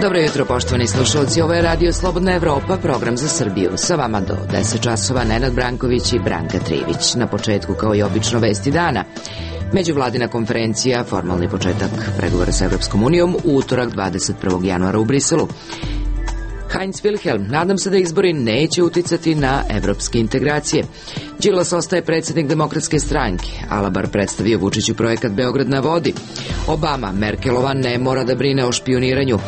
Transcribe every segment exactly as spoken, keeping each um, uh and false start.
Dobro jutro, poštovani slušalci, ovo je Radio Slobodna Evropa, program za Srbiju. Sa vama do deset časova Nenad Branković i Branka Trivić. Na početku, kao i obično, vesti dana. Međuvladina konferencija, formalni početak pregovora sa Evropskom unijom, u utorak dvadeset prvog januara u Briselu. Heinz Wilhelm, nadam se da izbori neće uticati na evropske integracije. Đilas ostaje predsjednik Demokratske stranke. Alabar predstavio Vučiću projekat Beograd na vodi. Obama, Merkelova ne mora da brine o špioniranju.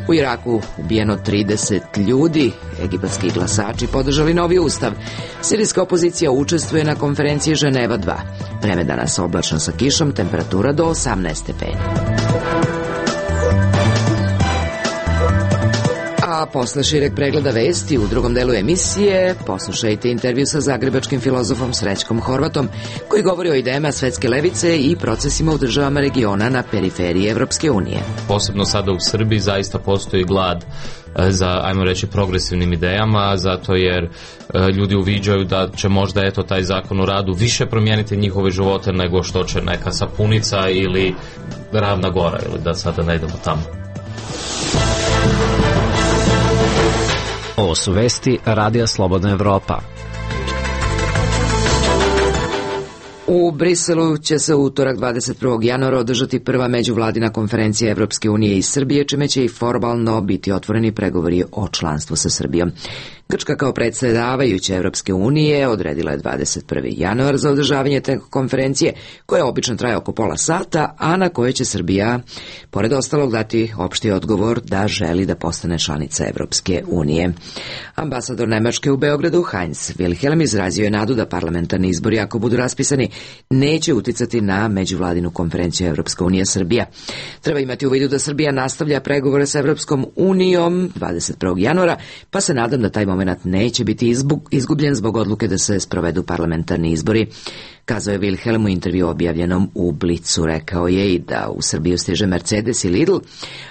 U Iraku ubijeno trideset ljudi. Egipatski glasači podržali novi ustav. Sirijska opozicija učestvuje na konferenciji Ženeva dva. Vreme danas oblačno sa kišom, temperatura do osamnaest stepeni. A posle šireg pregleda vesti u drugom delu emisije poslušajte intervju sa zagrebačkim filozofom Srećkom Horvatom, koji govori o idejama svetske levice i procesima u državama regiona na periferiji Evropske unije. Posebno sada u Srbiji zaista postoji glad za, ajmo reći, progresivnim idejama, zato jer ljudi uviđaju da će možda eto taj zakon o radu više promijeniti njihove živote nego što će neka sapunica ili Ravna Gora, ili da sada ne idemo tamo. Ovo su vesti Radija Slobodna Evropa. U Briselu će se u utorak dvadeset prvog januara održati prva međuvladina konferencija Evropske unije i Srbije, čime će i formalno biti otvoreni pregovori o članstvu sa Srbijom. Grčka kao predsjedavajuća Evropske unije odredila je dvadeset prvi januar za održavanje te konferencije, koja obično traje oko pola sata, a na kojoj će Srbija, pored ostalog, dati opšti odgovor da želi da postane članica Evropske unije. Ambasador Nemačke u Beogradu, Heinz Wilhelm, izrazio je nadu da parlamentarni izbori, ako budu raspisani, neće uticati na međuvladinu konferenciju Evropska unija Srbija. Treba imati u vidu da Srbija nastavlja pregovore sa Evropskom unijom dvadeset prvog januara, pa se nadam da taj moment neće biti izgubljen zbog odluke da se sprovedu parlamentarni izbori. Kazao je Wilhelm u intervju objavljenom u Blicu. Rekao je i da u Srbiju stiže Mercedes i Lidl,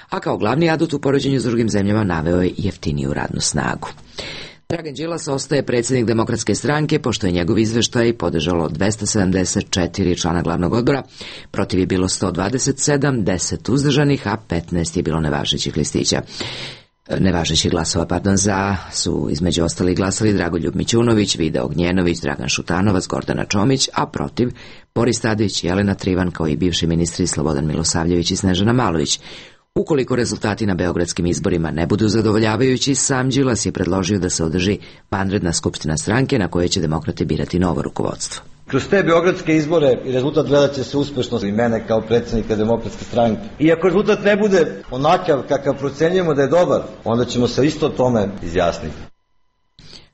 a kao glavni adut u poređenju s drugim zemljama naveo je jeftiniju radnu snagu. Dragan Đilas ostaje predsjednik Demokratske stranke, pošto je njegov izveštaj podržalo dvesta sedamdeset četiri člana glavnog odbora, protiv je bilo sto dvadeset sedam, deset uzdržanih, a petnaest je bilo nevažećih listića. Nevažećih glasova, pardon, za su između ostalih glasali Dragoljub Mićunović, Vida Ognjenović, Dragan Šutanovac, Gordana Čomić, a protiv Boris Tadić, Jelena Trivan, kao i bivši ministri Slobodan Milosavljević i Snežana Malović. Ukoliko rezultati na beogradskim izborima ne budu zadovoljavajući, sam Đilas je predložio da se održi vanredna skupština stranke na kojoj će demokrate birati novo rukovodstvo. Kroz te beogradske izbore i rezultat gledat će se uspešno i mene kao predsjednika Demokratske stranke. I ako rezultat ne bude onakav kakav procenjujemo da je dobar, onda ćemo se isto tome izjasniti.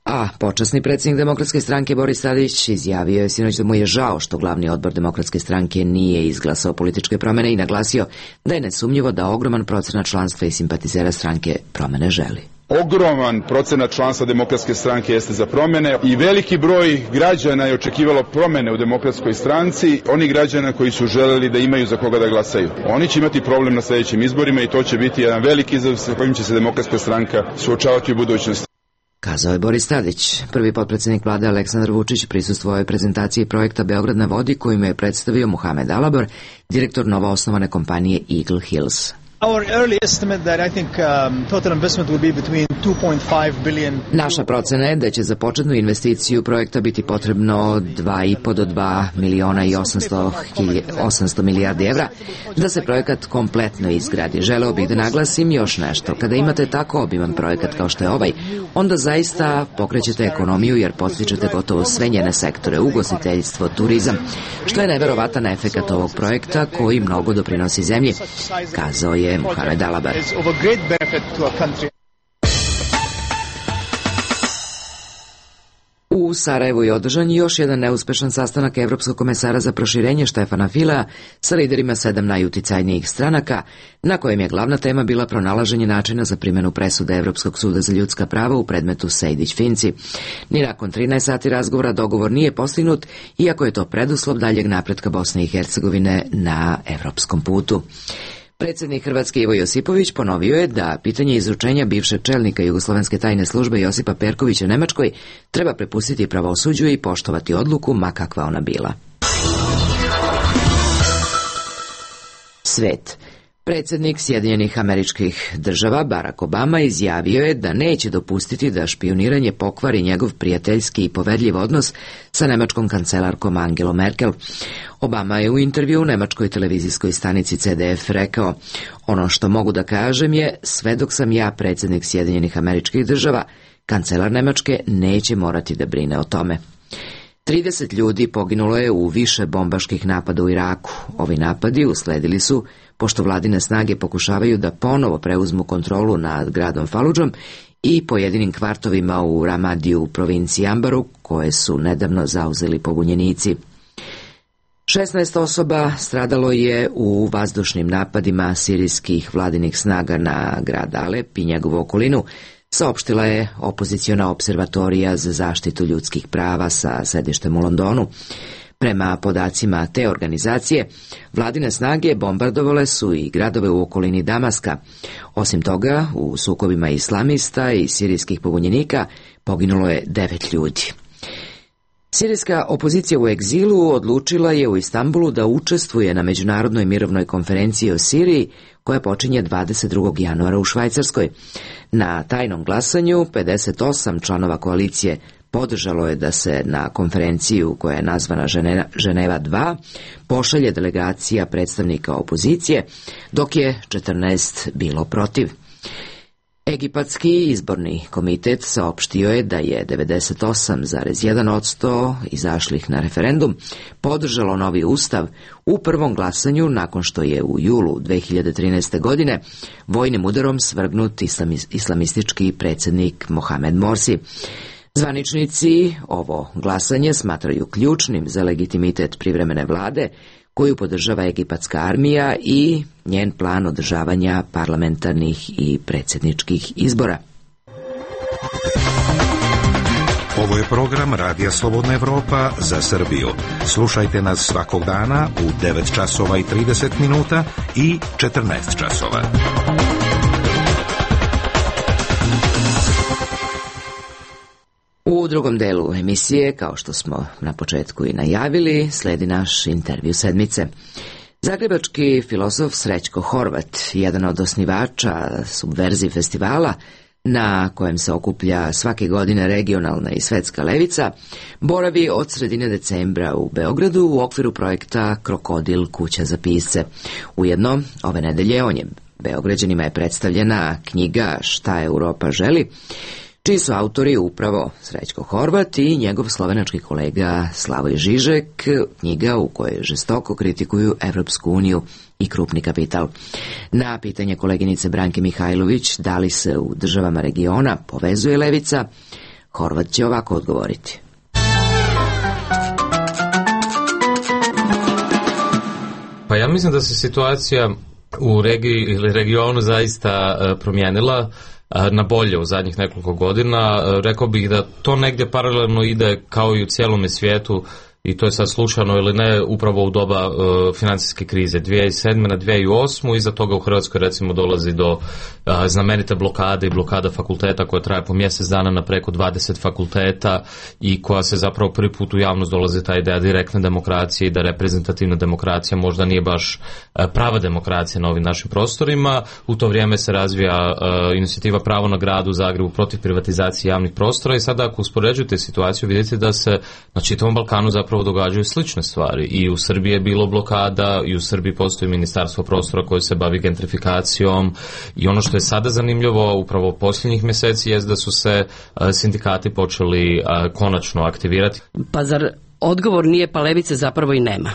A počasni predsjednik Demokratske stranke Boris Tadić izjavio je sinoć da mu je žao što glavni odbor Demokratske stranke nije izglasao političke promjene i naglasio da je nesumnjivo da ogroman procenat članstva i simpatizera stranke promjene želi. Ogroman procenat članstva Demokratske stranke jeste za promjene i veliki broj građana je očekivalo promjene u Demokratskoj stranci, oni građana koji su želeli da imaju za koga da glasaju. Oni će imati problem na sljedećim izborima i to će biti jedan veliki izazov sa kojim će se Demokratska stranka suočavati u budućnosti. Kazao je Boris Tadić. Prvi potpredsjednik vlade Aleksandar Vučić prisustvovao je prezentaciji projekta Beograd na vodi, kojim je predstavio Muhamed Alabar, direktor novoosnovane kompanije Eagle Hills. Our early estimate that I think um, total investment will be between two point five billion. Naša procena je da će za početnu investiciju projekta biti potrebno dva i po do dva miliona i osamsto milijardi evra da se projekat kompletno izgradi. Želeo bih da naglasim još nešto. Kada imate tako obiman projekat kao što je ovaj, onda zaista pokrećete ekonomiju jer podstičete gotovo sve njene sektore, ugostiteljstvo, turizam, što je neverovatan efekat ovog projekta koji mnogo doprinosi zemlji, kazao je Muhamed Alabar. U Sarajevu je održan još jedan neuspešan sastanak Evropskog komesara za proširenje Štefana Filea sa liderima sedam najuticajnijih stranaka, na kojem je glavna tema bila pronalaženje načina za primjenu presude Evropskog suda za ljudska prava u predmetu Sejdić-Finci. Ni nakon trinaest sati razgovora dogovor nije postignut, iako je to preduslov daljeg napretka Bosne i Hercegovine na evropskom putu. Predsjednik Hrvatske Ivo Josipović ponovio je da pitanje izručenja bivšeg čelnika Jugoslovenske tajne službe Josipa Perkovića Nemačkoj treba prepustiti pravosuđu i poštovati odluku, ma kakva ona bila. Svet. Predsjednik Sjedinjenih Američkih Država Barack Obama izjavio je da neće dopustiti da špijuniranje pokvari njegov prijateljski i poverljiv odnos sa nemačkom kancelarkom Angelom Merkel. Obama je u intervju u nemačkoj televizijskoj stanici C D F rekao: "Ono što mogu da kažem je, sve dok sam ja predsjednik Sjedinjenih Američkih Država, kancelar Nemačke neće morati da brine o tome." trideset ljudi poginulo je u više bombaških napada u Iraku. Ovi napadi usledili su pošto vladine snage pokušavaju da ponovo preuzmu kontrolu nad gradom Faludžom i pojedinim kvartovima u Ramadiju u provinciji Ambaru, koje su nedavno zauzeli pobunjenici. šesnaest osoba stradalo je u vazdušnim napadima sirijskih vladinih snaga na grad Alep i njegovu okolinu, saopštila je opoziciona observatorija za zaštitu ljudskih prava sa sedištem u Londonu. Prema podacima te organizacije, vladine snage bombardovale su i gradove u okolini Damaska. Osim toga, u sukobima islamista i sirijskih pobunjenika poginulo je devet ljudi. Sirijska opozicija u egzilu odlučila je u Istanbulu da učestvuje na međunarodnoj mirovnoj konferenciji o Siriji, koja počinje dvadeset drugog januara u Švajcarskoj. Na tajnom glasanju pedeset osam članova koalicije podržalo je da se na konferenciju, koja je nazvana Ženeva dva, pošalje delegacija predstavnika opozicije, dok je četrnaest bilo protiv. Egipatski izborni komitet saopštio je da je devedeset osam zarez jedan posto izašlih na referendum podržalo novi ustav u prvom glasanju nakon što je u julu dve hiljade trinaeste. godine vojnim udarom svrgnut islamistički predsjednik Mohamed Morsi. Zvaničnici ovo glasanje smatraju ključnim za legitimitet privremene vlade, koju podržava egipatska armija i njen plan održavanja parlamentarnih i predsjedničkih izbora. Ovo je program Radija Slobodna Evropa za Srbiju. Slušajte nas svakog dana u devet časova i trideset minuta i četrnaest časova. U drugom delu emisije, kao što smo na početku i najavili, sledi naš intervju sedmice. Zagrebački filozof Srećko Horvat, jedan od osnivača Subverzij festivala, na kojem se okuplja svake godine regionalna i svetska levica, boravi od sredine decembra u Beogradu u okviru projekta Krokodil, kuća za pisce. Ujedno, ove nedelje on je Beograđanima je predstavljena knjiga Šta Europa želi, čiji su autori upravo Srećko Horvat i njegov slovenački kolega Slavoj Žižek, knjiga u kojoj žestoko kritikuju Evropsku uniju i krupni kapital. Na pitanje koleginice Branke Mihajlović da li se u državama regiona povezuje levica, Horvat će ovako odgovoriti. Pa ja mislim da se situacija u regiji ili regionu zaista promijenila na bolje u zadnjih nekoliko godina. Rekao bih da to negdje paralelno ide kao i u cijelome svijetu, i to je sad slučajno ili ne, upravo u doba uh, financijske krize dvije tisuće sedme na dvije tisuće osme. Iza toga u Hrvatskoj recimo dolazi do uh, znamenite blokade i blokada fakulteta koja traje po mjesec dana na preko dvadeset fakulteta i koja se zapravo prvi put u javnost dolazi ta ideja direktne demokracije i da reprezentativna demokracija možda nije baš uh, prava demokracija na ovim našim prostorima. U to vrijeme se razvija uh, inicijativa Pravo na gradu u Zagrebu protiv privatizacije javnih prostora i sada ako uspoređujete situaciju vidite da se na čitavom Balkanu zapravo događaju slične stvari. I u Srbiji je bilo blokada, i u Srbiji postoji ministarstvo prostora koje se bavi gentrifikacijom, i ono što je sada zanimljivo upravo posljednjih mjeseci je da su se uh, sindikati počeli uh, konačno aktivirati. Pa zar odgovor nije pa levice zapravo i nema?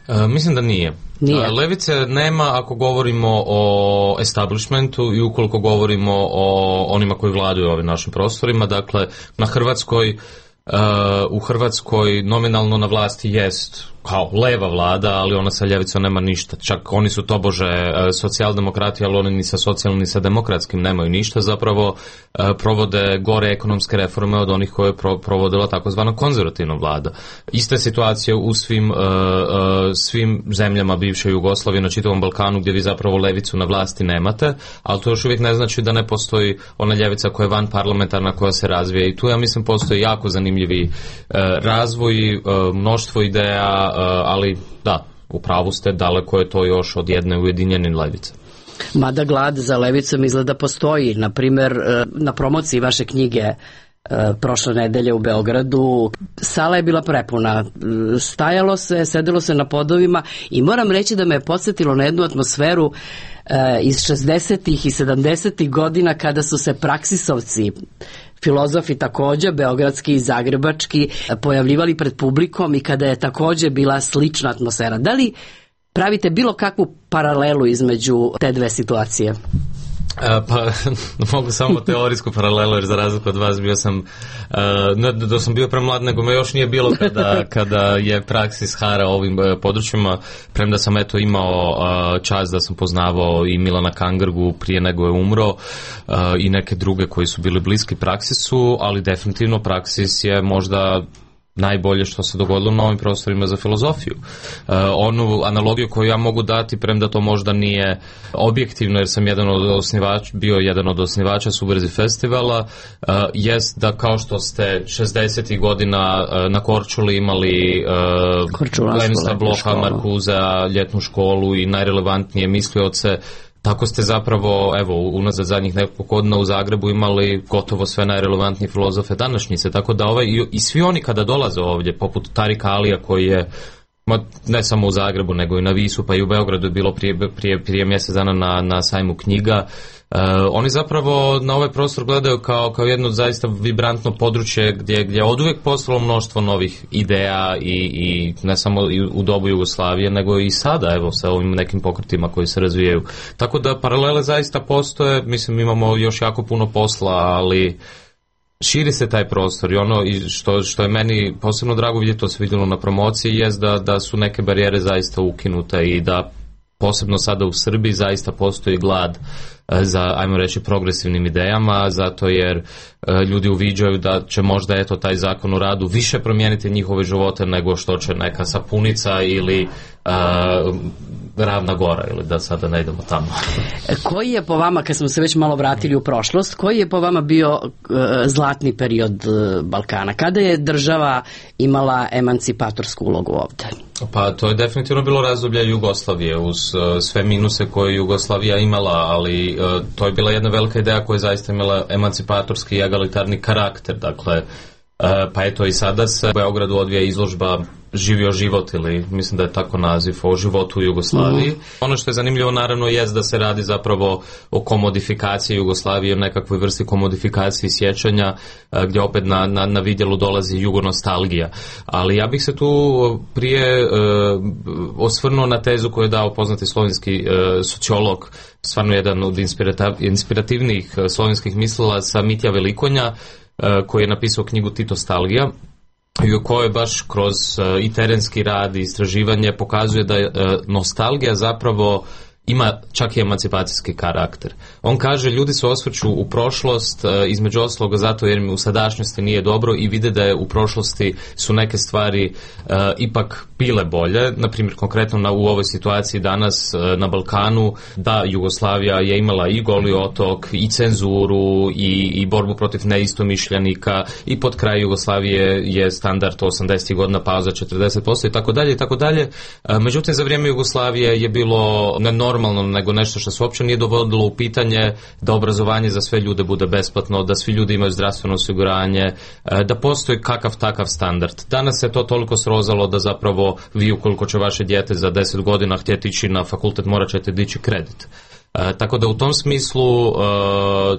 Uh, mislim da nije. Nije. Uh, levice nema ako govorimo o establishmentu i ukoliko govorimo o onima koji vladaju ovim našim prostorima. Dakle, na Hrvatskoj Uh, u Hrvatskoj nominalno na vlasti jest kao leva vlada, ali ona sa ljevicom nema ništa. Čak oni su tobože e, socijaldemokrati, ali oni ni sa socijalnim ni sa demokratskim nemaju ništa. Zapravo e, provode gore ekonomske reforme od onih koje je pro, provodila takozvana konzervativna vlada. Ista je situacija u svim, e, e, svim zemljama bivše Jugoslavije, na čitavom Balkanu, gdje vi zapravo levicu na vlasti nemate, ali to još uvijek ne znači da ne postoji ona ljevica koja je van parlamentarna, koja se razvija. I tu, ja mislim, postoji jako zanimljivi e, razvoj, e, mnoštvo ideja, ali da, u pravu ste, daleko je to još od jedne ujedinjene levice. Mada glad za levicom izgleda postoji. Na primjer, na promociji vaše knjige prošle nedelje u Beogradu sala je bila prepuna, stajalo se, sedelo se na podovima i moram reći da me je podsjetilo na jednu atmosferu iz šezdesetih i sedamdesetih godina kada su se praksisovci, filozofi također, beogradski i zagrebački, pojavljivali pred publikom i kada je također bila slična atmosfera. Da li pravite bilo kakvu paralelu između te dve situacije? E, pa mogu samo teorijsku paralelu, jer za razliku od vas bio sam, e, ne da sam bio premlad, nego me još nije bilo kada, kada je praksis hara ovim e, područjima, premda sam eto imao e, čast da sam poznavao i Milana Kangrgu prije nego je umro, e, i neke druge koji su bili bliski praksisu, ali definitivno praksis je možda najbolje što se dogodilo na ovim prostorima za filozofiju. E, onu analogiju koju ja mogu dati, premda to možda nije objektivno, jer sam jedan od osnivača, bio jedan od osnivača Subverzi festivala, e, jest da kao što ste šezdesetih godina e, na Korčuli imali e, Lenista Bloha, Markuzea, ljetnu školu i najrelevantnije mislioce, tako ste zapravo, evo, unazad zadnjih nekog godina u Zagrebu imali gotovo sve najrelevantnije filozofe današnjice, tako da ovaj, i, i svi oni kada dolaze ovdje, poput Tarika Alija koji je, ma, ne samo u Zagrebu, nego i na Visu, pa i u Beogradu je bilo prije, prije, prije mjesec dana na, na sajmu knjiga, Uh, oni zapravo na ovaj prostor gledaju kao, kao jedno zaista vibrantno područje gdje, gdje je oduvijek postalo mnoštvo novih ideja i, i ne samo u dobu Jugoslavije, nego i sada, evo, sa ovim nekim pokretima koji se razvijaju. Tako da paralele zaista postoje, mislim, imamo još jako puno posla, ali širi se taj prostor i ono i što, što je meni posebno drago vidjeti, to se vidjelo na promociji, jest da, da su neke barijere zaista ukinute i da posebno sada u Srbiji zaista postoji glad za, ajmo reći, progresivnim idejama, zato jer e, ljudi uviđaju da će možda eto taj zakon o radu više promijeniti njihove živote nego što će neka sapunica ili a, Ravna Gora, ili da sada ne idemo tamo. Koji je po vama, kad smo se već malo vratili u prošlost, koji je po vama bio uh, zlatni period uh, Balkana? Kada je država imala emancipatorsku ulogu ovdje? Pa to je definitivno bilo razdoblje Jugoslavije uz uh, sve minuse koje Jugoslavija imala, ali uh, to je bila jedna velika ideja koja je zaista imala emancipatorski i egalitarni karakter. Dakle, uh, pa eto i sada se u Beogradu odvija izložba Živio život, ili mislim da je tako naziv, o životu u Jugoslaviji. Mm. Ono što je zanimljivo naravno jest da se radi zapravo o komodifikaciji Jugoslavije, o nekakvoj vrsti komodifikaciji sjećanja, gdje opet na, na, na vidjelu dolazi jugonostalgija. Ali ja bih se tu prije uh, osvrnuo na tezu koju je dao poznati slovenski uh, sociolog, stvarno jedan od inspirativnijih uh, slovenskih mislilaca, Mitja Velikonja, uh, koji je napisao knjigu Titostalgija, i u kojoj baš kroz uh, i terenski rad i istraživanje pokazuje da uh, nostalgija zapravo ima čak i emancipacijski karakter. On kaže, ljudi se osvrću u prošlost, e, između osloga zato jer mi u sadašnjosti nije dobro i vide da je u prošlosti su neke stvari e, ipak bile bolje. Naprimjer, konkretno na, u ovoj situaciji danas e, na Balkanu, da Jugoslavija je imala i Goli otok, i cenzuru, i, i borbu protiv neistomišljenika, i pod kraj Jugoslavije je standard osamdesetih godina pauza četrdeset posto i tako dalje i tako dalje. Međutim, za vrijeme Jugoslavije je bilo ne normalno, nego nešto što se uopće nije dovodilo u pitanje, da obrazovanje za sve ljude bude besplatno, da svi ljudi imaju zdravstveno osiguranje, da postoji kakav takav standard. Danas se to toliko srozalo da zapravo vi, ukoliko će vaše dijete za deset godina htjeti ići na fakultet, morat ćete dići kredit. E, tako da u tom smislu e,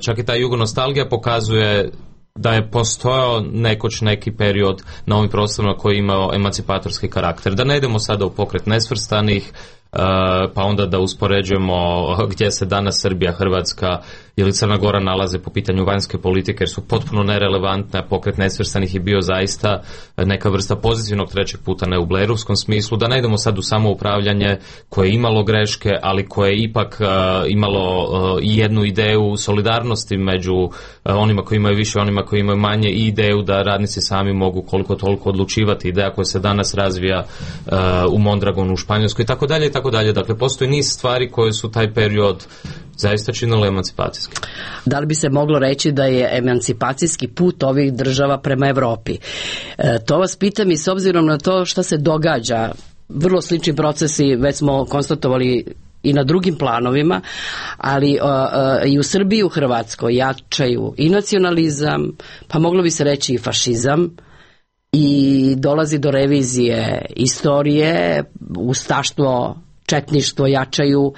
čak i ta jugonostalgija pokazuje da je postojao nekoć neki period na ovim prostorima koji je imao emancipatorski karakter. Da ne idemo sada u pokret nesvrstanih, Uh, pa onda da uspoređujemo gdje se danas Srbija, Hrvatska ili Crna Gora nalaze po pitanju vanjske politike, jer su potpuno nerelevantne, a Pokret nesvrstanih je bio zaista neka vrsta pozitivnog trećeg puta, ne u Blairovskom smislu, da ne idemo sad u samoupravljanje koje je imalo greške, ali koje je ipak uh, imalo uh, jednu ideju solidarnosti među uh, onima koji imaju više, onima koji imaju manje, i ideju da radnici sami mogu koliko toliko odlučivati, ideja koja se danas razvija uh, u Mondragonu u Španjolskoj i tako dalje i tako dalje. Dakle, postoji niz stvari koje su taj period zaista činile emancipacijski. Da li bi se moglo reći da je emancipacijski put ovih država prema Evropi? E, to vas pitam i s obzirom na to što se događa, vrlo slični procesi već smo konstatovali i na drugim planovima, ali uh, uh, i u Srbiji i u Hrvatskoj jačaju i nacionalizam, pa moglo bi se reći i fašizam, i dolazi do revizije istorije, ustaštvo, četništvo jačaju.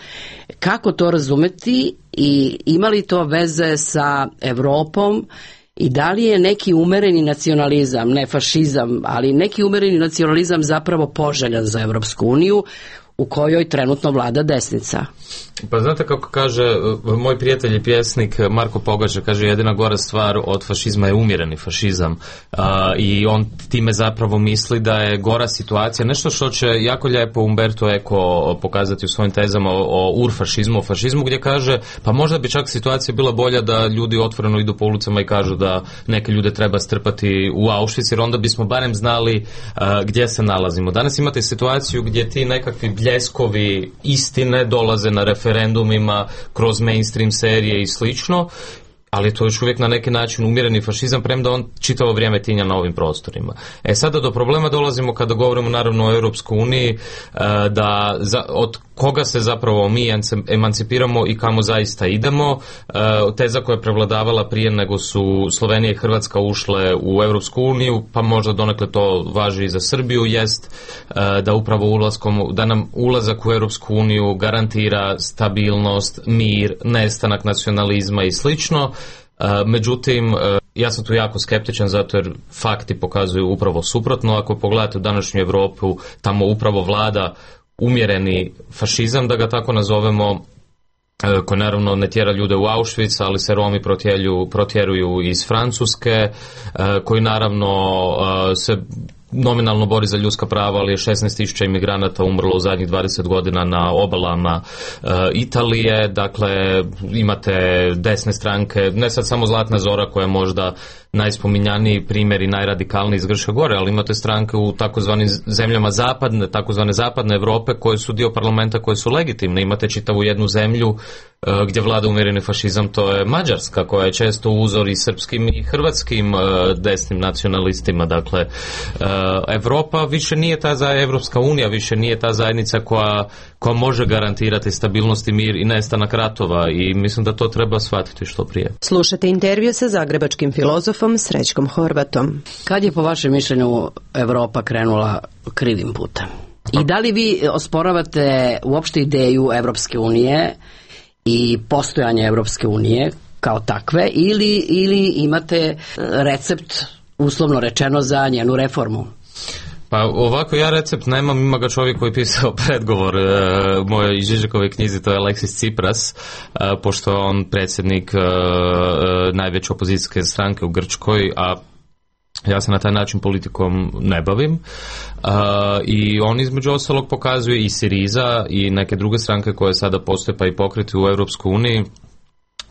Kako to razumeti i ima li to veze sa Evropom i da li je neki umereni nacionalizam, ne fašizam, ali neki umereni nacionalizam zapravo poželjan za Evropsku uniju u kojoj trenutno vlada desnica? Pa znate kako kaže moj prijatelj i pjesnik Marko Pogača, kaže jedina gora stvar od fašizma je umjereni fašizam, a, i on time zapravo misli da je gora situacija, nešto što će jako lijepo Umberto Eco pokazati u svojim tezama o, o urfašizmu, o fašizmu, gdje kaže pa možda bi čak situacija bila bolja da ljudi otvoreno idu po ulicama i kažu da neke ljude treba strpati u Auschwitz, jer onda bismo barem znali a, gdje se nalazimo. Danas imate situaciju gdje ti nekakvi bljeskovi istine dolaze na referendumima, kroz mainstream serije i slično, ali to je još uvijek na neki način umjereni fašizam, premda on čitavo vrijeme tinja na ovim prostorima. E sada do problema dolazimo kada govorimo naravno o Europskoj uniji, da za, od koga se zapravo mi emancipiramo i kamo zaista idemo. Teza koja je prevladavala prije nego su Slovenija i Hrvatska ušle u Europsku uniju, pa možda donekle to važi i za Srbiju, jest da upravo ulaskom, da nam ulazak u Europsku uniju garantira stabilnost, mir, nestanak nacionalizma i slično. Međutim, ja sam tu jako skeptičan zato jer fakti pokazuju upravo suprotno. Ako pogledate u današnju Europu, tamo upravo vlada umjereni fašizam, da ga tako nazovemo, koji naravno ne tjera ljude u Auschwitz, ali se Romi protjeruju, protjeruju iz Francuske, koji naravno se nominalno bori za ljudska prava, ali je šesnaest tisuća imigranata umrlo u zadnjih dvadeset godina na obalama e, Italije. Dakle, imate desne stranke, ne sad samo Zlatna Zora koja je možda najspominjaniji primjer i najradikalniji iz Grčke gore, ali imate stranke u takozvanim zemljama zapadne, takozvane zapadne Europe koje su dio parlamenta, koje su legitimne. Imate čitavu jednu zemlju e, gdje vlada umjereni fašizam, to je Mađarska, koja je često uzor i srpskim i hrvatskim e, desnim nacionalistima. Dakle, e, Europa više nije ta za Evropska unija, više nije ta zajednica koja, koja može garantirati stabilnost i mir i nestanak ratova, i mislim da to treba shvatiti što prije. Slušate intervju sa zagrebačkim filozofom Srećkom Horvatom. Kad je po vašem mišljenju Evropa krenula krivim putem? I da li vi osporavate uopšte ideju Evropske unije i postojanje Evropske unije kao takve, ili, ili imate recept, uslovno rečeno, za njenu reformu? Pa ovako, ja recept nemam, ima ga čovjek koji je pisao predgovor e, mojoj Žižekove knjizi, to je Aleksis Tsipras, e, pošto je on predsjednik e, e, najveće opozicijske stranke u Grčkoj, a ja se na taj način politikom ne bavim. E, I on između ostalog pokazuje i Siriza i neke druge stranke koje sada postoje, pa i pokreti u Europskoj uniji,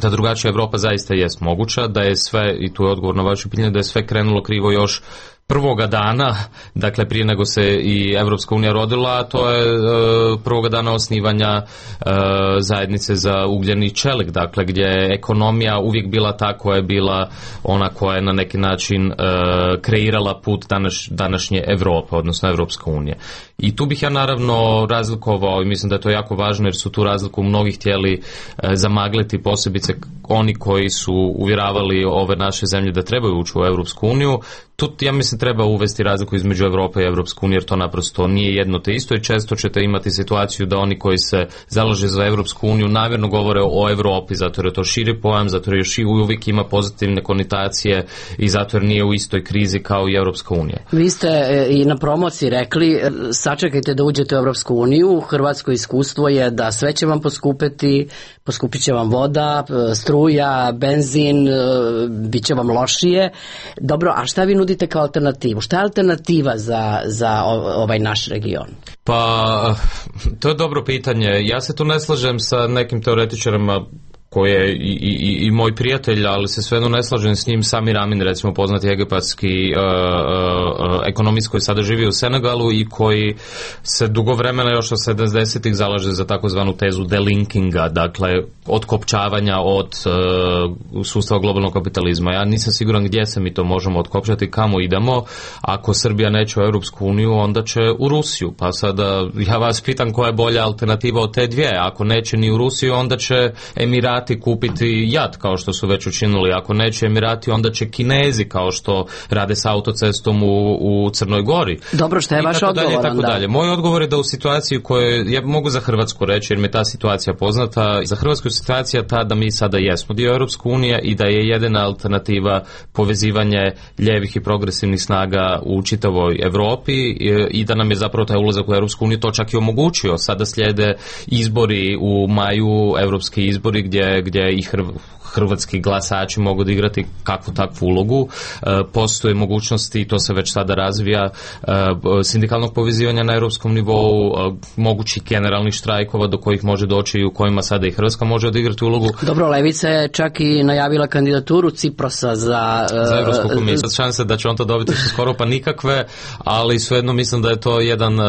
da drugačija Evropa zaista jest moguća, da je sve, i tu je odgovor na vaše pitanje, da je sve krenulo krivo još prvoga dana, dakle prije nego se i Evropska unija rodila, a to je e, prvoga dana osnivanja e, zajednice za ugljeni čelik, dakle gdje je ekonomija uvijek bila ta koja je bila ona koja je na neki način e, kreirala put danas, današnje Evrope, odnosno Evropska unija. I tu bih ja naravno razlikovao, i mislim da je to jako važno jer su tu razliku mnogi htjeli e, zamagliti, posebice oni koji su uvjeravali ove naše zemlje da trebaju ući u Evropsku uniju. tu ja mislim treba uvesti razliku između Europe i Europske unije, jer to naprosto nije jedno te isto i često ćete imati situaciju da oni koji se zalaže za Europsku uniju namjerno govore o Europi, zato jer je to širi pojam, zato jer još i uvijek ima pozitivne konotacije i zato jer nije u istoj krizi kao i Europska unija. Vi ste i na promociji rekli, sačekajte da uđete u Europsku uniju, hrvatsko iskustvo je da sve će vam poskupiti, poskupit će vam voda, struja, benzin, bit će vam lošije. Dobro, a šta vi nudite kao alternativu? Šta je alternativa za, za ovaj naš region? Pa, to je dobro pitanje. Ja se tu ne slažem sa nekim teoretičarima koji je i, i, i moj prijatelj, ali se svejedno ne slažem s njim. Samir Amin, recimo poznati egipatski uh, uh, ekonomist koji sada živi u Senegalu i koji se dugo vremena još od sedamdesetih zalaže za takozvanu tezu delinkinga, dakle otkopčavanja od uh, sustava globalnog kapitalizma. Ja nisam siguran gdje se mi to možemo otkopčati, kamo idemo. Ako Srbija neće u Europsku uniju, onda će u Rusiju. Pa sada ja vas pitam koja je bolja alternativa od te dvije. Ako neće ni u Rusiju, onda će Emirati kupiti jad, kao što su već učinili. Ako neće Emirati, onda će Kinezi, kao što rade s autocestom u, u Crnoj Gori. Dobro, što je vaš odgovor? Tako dalje. Moj odgovor je da u situaciji koju, ja mogu za Hrvatsku reći, jer mi je ta situacija poznata, za Hrvatsku situacija ta da mi sada jesmo dio Europske unije i da je jedina alternativa povezivanje ljevih i progresivnih snaga u čitavoj Europi i, i da nam je zapravo taj ulazak u Europsku uniju to čak i omogućio. Sada slijede izbori u maju, europski izbori gdje gdje i hrv, hrvatski glasači mogu odigrati kakvu takvu ulogu. E, postoje mogućnosti, i to se već sada razvija, e, sindikalnog povezivanja na europskom nivou, e, mogućih generalnih štrajkova do kojih može doći i u kojima sada i Hrvatska može odigrati ulogu. Dobro, Levica je čak i najavila kandidaturu Ciprosa za... E, za Europsku komisiju. Šanse da će on to dobiti su skoro pa nikakve, ali svejedno mislim da je to jedan e,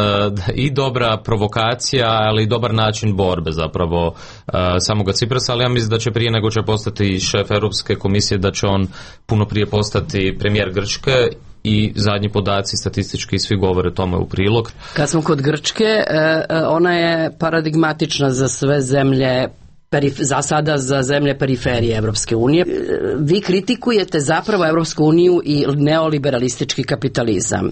i dobra provokacija, ali i dobar način borbe zapravo e, samoga Ciprosa, ali ja mislim da će prije nego će postati šef Europske komisije, da će on puno prije postati premijer Grčke i zadnji podaci statistički svi govore tome u prilog. Kad smo kod Grčke, ona je paradigmatična za sve zemlje, za sada za zemlje periferije Evropske unije. Vi kritikujete zapravo Evropsku uniju i neoliberalistički kapitalizam.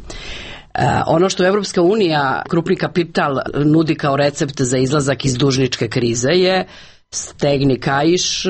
Ono što Evropska unija, krupni kapital, nudi kao recept za izlazak iz dužničke krize je stegni kaiš,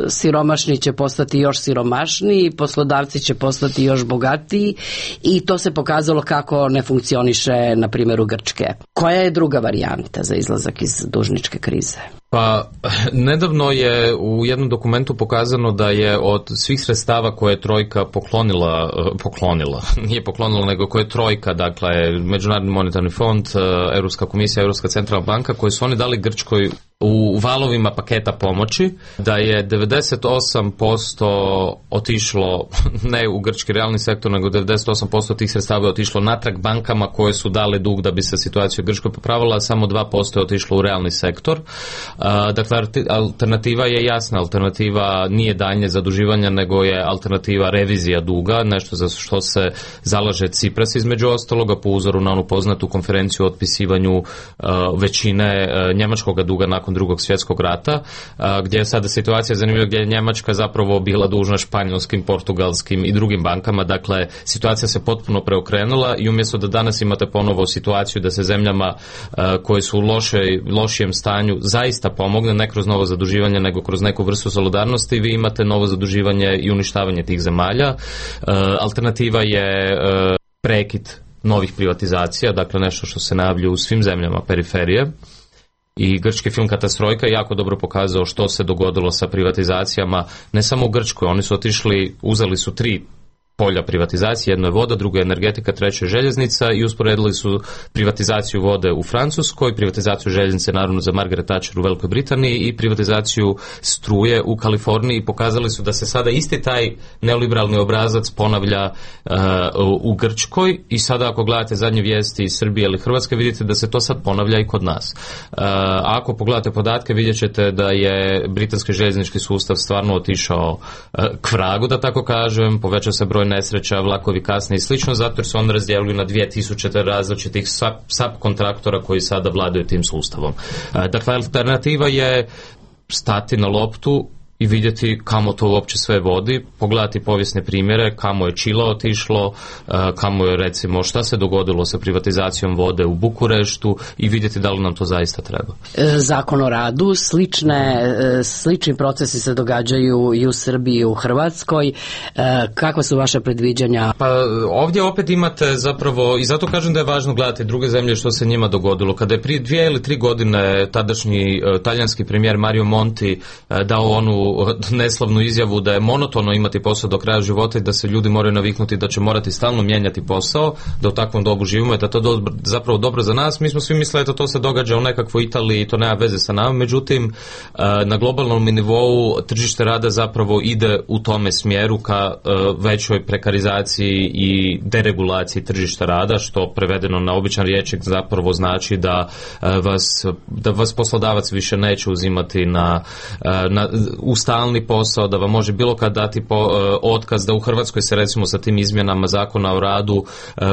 siromašni će postati još siromašniji, poslodavci će postati još bogatiji i to se pokazalo kako ne funkcioniše na primjeru Grčke. Koja je druga varijanta za izlazak iz dužničke krize? Pa, nedavno je u jednom dokumentu pokazano da je od svih sredstava koje je Trojka poklonila, poklonila, nije poklonila, nego koje je Trojka, dakle Međunarodni monetarni fond, Europska komisija, Europska centralna banka, koje su oni dali Grčkoj u valovima paketa pomoći, da je devedeset osam posto otišlo ne u grčki realni sektor, nego devedeset osam posto tih sredstava je otišlo natrag bankama koje su dale dug da bi se situacija u Grčkoj popravila, a samo dva posto je otišlo u realni sektor. Dakle, alternativa je jasna, alternativa nije daljnje zaduživanja, nego je alternativa revizija duga, nešto za što se zalaže Cipras između ostaloga, po uzoru na onu poznatu konferenciju o otpisivanju većine njemačkog duga nakon drugog svjetskog rata, gdje je sada situacija zanimljiva, gdje je Njemačka zapravo bila dužna španjolskim, portugalskim i drugim bankama. Dakle, situacija se potpuno preokrenula i umjesto da danas imate ponovo situaciju da se zemljama koje su u loše, lošijem stanju zaista pomogne, ne kroz novo zaduživanje, nego kroz neku vrstu solidarnosti, vi imate novo zaduživanje i uništavanje tih zemalja. Alternativa je prekid novih privatizacija, dakle nešto što se najavljuje u svim zemljama periferije. I grčki film Katastrojka je jako dobro pokazao što se dogodilo sa privatizacijama, ne samo u Grčkoj, oni su otišli, uzeli su tri polja privatizacije, jedno je voda, drugo je energetika, treće je željeznica i usporedili su privatizaciju vode u Francuskoj, privatizaciju željeznice naravno za Margaret Thatcher u Velikoj Britaniji i privatizaciju struje u Kaliforniji i pokazali su da se sada isti taj neoliberalni obrazac ponavlja uh, u Grčkoj i sada ako gledate zadnje vijesti iz Srbije ili Hrvatske vidite da se to sad ponavlja i kod nas. Uh, ako pogledate podatke vidjet ćete da je britanski željeznički sustav stvarno otišao uh, k vragu, da tako kažem, povećao se broj nesreća, vlakovi kasne i slično, zato jer su on razdjelili na dvije tisuće različitih subkontraktora koji sada vladaju tim sustavom. Dakle, alternativa je stati na loptu i vidjeti kamo to uopće sve vodi, pogledati povijesne primjere, kamo je Čile otišlo, kamo je recimo šta se dogodilo sa privatizacijom vode u Bukureštu i vidjeti da li nam to zaista treba. Zakon o radu, slične, slični procesi se događaju i u Srbiji i u Hrvatskoj. Kakva su vaše predviđanja? Pa ovdje opet imate zapravo, i zato kažem da je važno gledati druge zemlje što se njima dogodilo. Kada je prije dvije ili tri godine tadašnji talijanski premijer Mario Monti dao onu neslavnu izjavu da je monotono imati posao do kraja života i da se ljudi moraju naviknuti da će morati stalno mijenjati posao, da u takvom dobu živimo i da to do, zapravo dobro za nas. Mi smo svi mislili da to se događa u nekakvoj Italiji i to nema veze sa nama, međutim na globalnom nivou tržište rada zapravo ide u tome smjeru ka većoj prekarizaciji i deregulaciji tržišta rada, što prevedeno na običan rječnik zapravo znači da vas, da vas poslodavac više neće uzimati na, na u stalni posao, da vam može bilo kad dati po, otkaz, da u Hrvatskoj se recimo sa tim izmjenama zakona o radu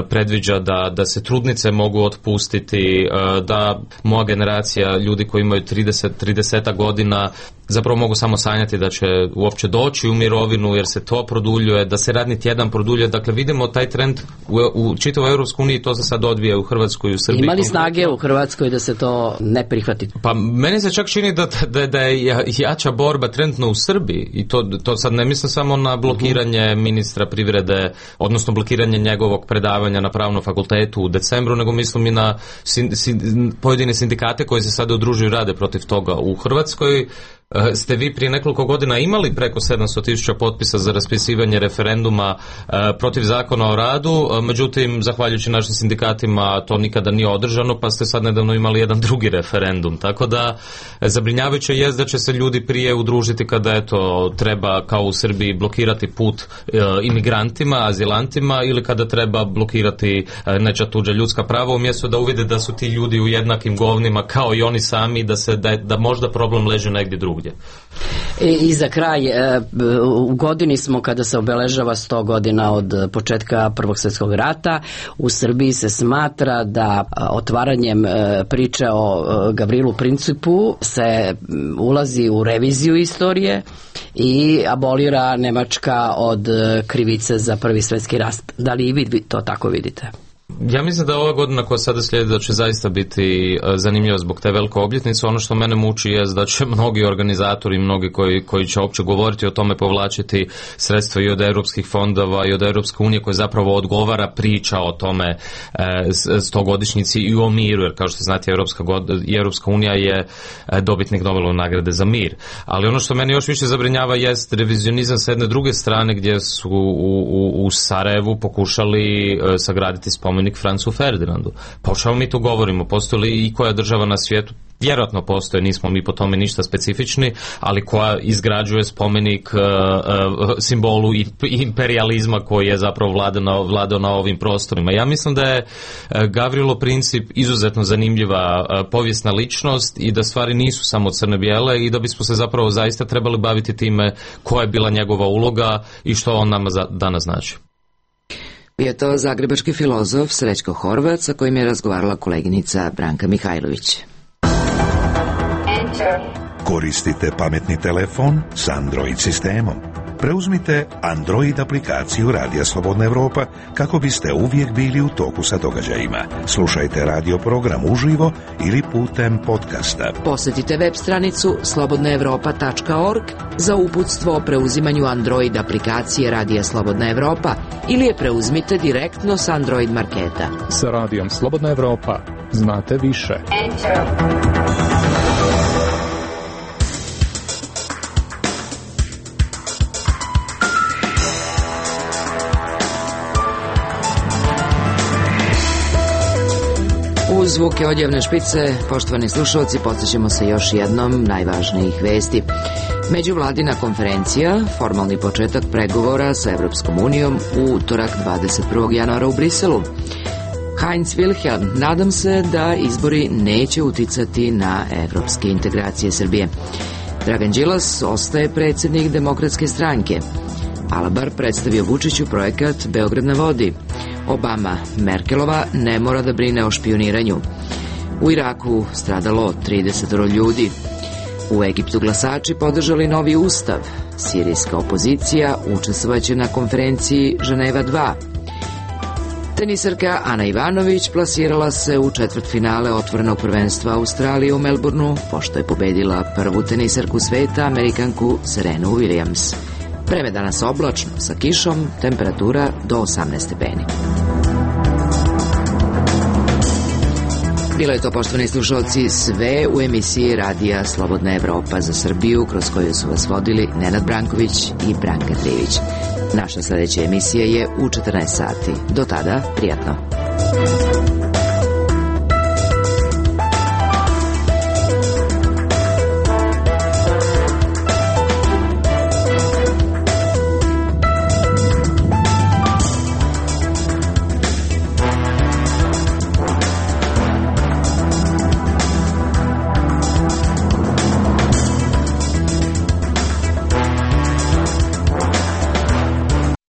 predviđa da, da se trudnice mogu otpustiti, da moja generacija ljudi koji imaju trideset, trideset godina zapravo mogu samo sanjati da će uopće doći u mirovinu jer se to produljuje, da se radni tjedan produljuje. Dakle, vidimo taj trend u, u čitavoj Europskoj uniji, to se sad odvija u Hrvatskoj i u Srbiji. Ima li snage u Hrvatskoj da se to ne prihvati? Pa meni se čak čini da, da, da je jača borba trenutno u Srbiji i to, to sad ne mislim samo na blokiranje uh-huh. ministra privrede, odnosno blokiranje njegovog predavanja na pravnom fakultetu u decembru, nego mislim i na sin, sin, pojedine sindikate koji se sada udružuju i rade protiv toga u Hrvatskoj. Ste vi prije nekoliko godina imali preko sedamsto tisuća potpisa za raspisivanje referenduma e, protiv zakona o radu, međutim, zahvaljujući našim sindikatima to nikada nije održano, pa ste sad nedavno imali jedan drugi referendum, tako da zabrinjavajuće je da će se ljudi prije udružiti kada eto treba kao u Srbiji blokirati put e, imigrantima, azilantima ili kada treba blokirati e, nečija tuđa ljudska prava, umjesto da uvide da su ti ljudi u jednakim govnima kao i oni sami, da, se, da, da možda problem leži negdje drugdje. I za kraj, u godini smo kada se obeležava sto godina od početka Prvog svjetskog rata. U Srbiji se smatra da otvaranjem priče o Gavrilu Principu se ulazi u reviziju istorije i abolira Nemačka od krivice za Prvi svjetski rat. Da li i vi to tako vidite? Ja mislim da ova godina koja sada slijedi da će zaista biti zanimljiva zbog te velike obljetnice. Ono što mene muči je da će mnogi organizatori, mnogi koji, koji će uopće govoriti o tome povlačiti sredstva i od europskih fondova i od Europske unije koji zapravo odgovara priča o tome e, stogodišnjici i o miru, jer kao što znate Europska, god, Europska unija je dobitnik Nobelove nagrade za mir. Ali ono što mene još više zabrinjava jest revizionizam s jedne druge strane gdje su u, u, u Sarajevu pokušali e, sagraditi spomenik Francu Ferdinandu. Pa o čemu mi tu govorimo? Postoji li i koja država na svijetu? Vjerojatno postoje, nismo mi po tome ništa specifični, ali koja izgrađuje spomenik uh, uh, simbolu imperializma koji je zapravo vladao, vladao na ovim prostorima. Ja mislim da je uh, Gavrilo Princip izuzetno zanimljiva uh, povijesna ličnost i da stvari nisu samo crne-bijele i da bismo se zapravo zaista trebali baviti time koja je bila njegova uloga i što on nama za, danas znači. Bio je to zagrebački filozof Srećko Horvat sa kojim je razgovarala koleginica Branka Mihajlović. Koristite pametni telefon s Android sistemom. Preuzmite Android aplikaciju Radija Slobodna Evropa kako biste uvijek bili u toku sa događajima. Slušajte radio program uživo ili putem podcasta. Posjetite web stranicu slobodna evropa tačka org za uputstvo o preuzimanju Android aplikacije Radija Slobodna Evropa ili je preuzmite direktno s Android marketa. Sa Radijom Slobodna Evropa znate više. Enter. Uz zvuke odjevne špice, poštovani slušalci, podsjećamo se još jednom najvažnijih vesti. Međuvladina konferencija, formalni početak pregovora sa Evropskom unijom u utorak dvadeset prvog januara u Briselu. Heinz Wilhelm, nadam se da izbori neće uticati na evropske integracije Srbije. Dragan Đilas ostaje predsjednik Demokratske stranke. Alabar predstavio Vučiću projekat Beograd na vodi. Obama, Merkelova ne mora da brine o špioniranju. U Iraku stradalo trideset ljudi. U Egiptu glasači podržali novi ustav. Sirijska opozicija učestvovaće na konferenciji Ženeva dva. Tenisarka Ana Ivanović plasirala se u četvrtfinale otvorenog prvenstva Australije u Melbourneu, pošto je pobedila prvu tenisarku sveta, Amerikanku Serenu Williams. Vreme danas oblačno, sa kišom, temperatura do osamnaest stepeni. Bilo je to, poštovani slušalci, sve u emisiji Radija Slobodna Evropa za Srbiju, kroz koju su vas vodili Nenad Branković i Branka Trivić. Naša sledeća emisija je u četrnaest sati. Do tada, prijatno.